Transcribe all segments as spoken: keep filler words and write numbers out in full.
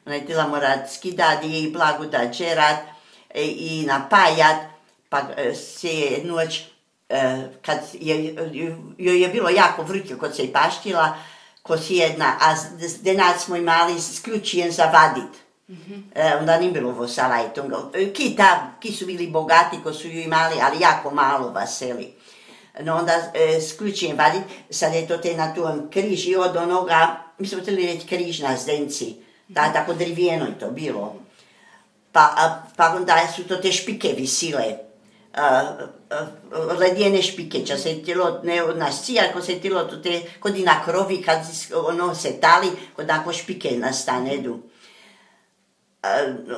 ona je htjela morat skidat i blago da džerat i napajat, pa se je noć, kad joj je bilo jako vruće kod se i paštila, ko si jedna, a denac smo imali sključijen za vadit. Mm-hmm. E, onda nije bilo ovo salajtonga. Ki, ta, ki su bili bogati ko su ju imali, ali jako malo vaseli. No onda e, sključijen vadit, sad je to te na tom križ i od onoga, mi smo htjeli reći križ na zdenci, da, tako drivijeno je to bilo. Pa, a, pa onda su to te špike visile. Uh, uh, ledjene špike, če se je tilo, ne od nas cija, ko se je tilo, to te, kod i na krovi, kad ono se tali, kod ako špike nastanedu. Uh,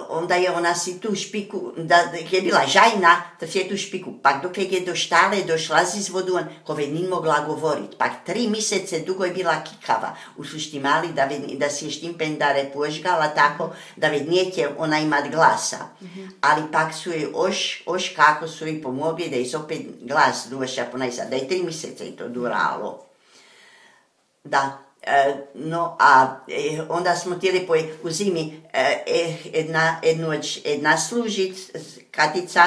onda je ona si tu špiku, da je bila žajna, da si je tu špiku, pak dok je do štale došla z vodu, kove nije mogla govorit, pak tri mjesece dugo je bila kikava, u sušti mali, da, da si je štimpendare požgala tako, da vednijete ona imat glasa, mm-hmm. ali pak su je oš, oš kako su joj pomogli da je opet glas došla ponajsa, da je tri mjesece je to duralo. Da. No, a eh, onda smo htjeli po, u zimi eh, jedna, jednoć, jedna služit, katica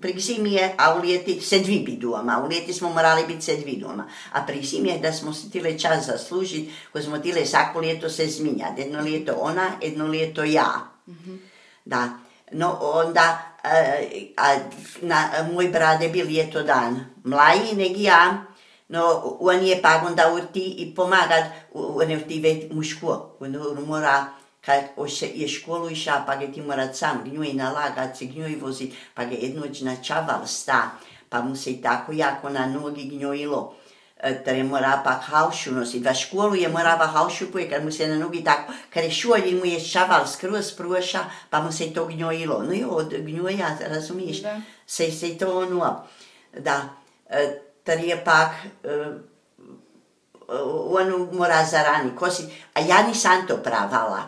pri zimi je, a u ljeti se dvi bi doma, u ljeti smo morali biti se dvi doma, a pri zimi je da smo se htjeli čas zaslužit, ko smo htjeli svako ljeto se zminjati, jedno ljeto ona, jedno ljeto ja. Mm-hmm. Da, no onda, eh, a, na, moj brat je bil ljeto dan mlaji nego ja, no, on je pa onda urti i pomagat, on je urti već u školu, on mora, kad je školu iša, pa ga ti morat sam gnjuj nalagat, se gnjuj vozit, pa ga jednoć načaval sta, pa mu se i tako jako na nogi gnjojilo, da je mora pa halšu nosit, va školu je morava halšu poje, kad mu se na nogi tako, kad je šolji mu je čaval skroz proša, pa mu se i to gnjojilo, no i od gnjoja, razumiješ, da. se se to ono, da, tar je pak, uh, on mora zarani kosit, a ja nisam to pravala.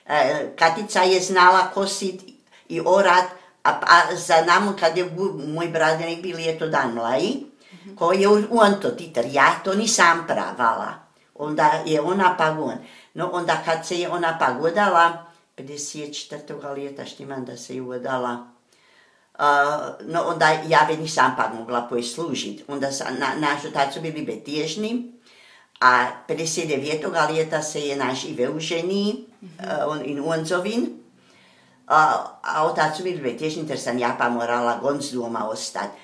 Uh, Katica je znala kosit i orat, a, a za namo kad je moj bradenik bil je to dan mlaji, mm-hmm. ko je on to titar, ja to nisam pravala. Onda je ona pa on. No onda kad se je ona pa godala, pedeset četvrtog ljeta štimam da se je udala, Uh, no onda ja već nisam pa mogla poslužiti. Onda sa, na, naš otac su bili betježni, a pedeset devetog ljeta se je naš Ive uženi, mm-hmm. uh, on in Onzovin, uh, a otac su bili betježni, jer sam ja pa morala gonc doma ostati.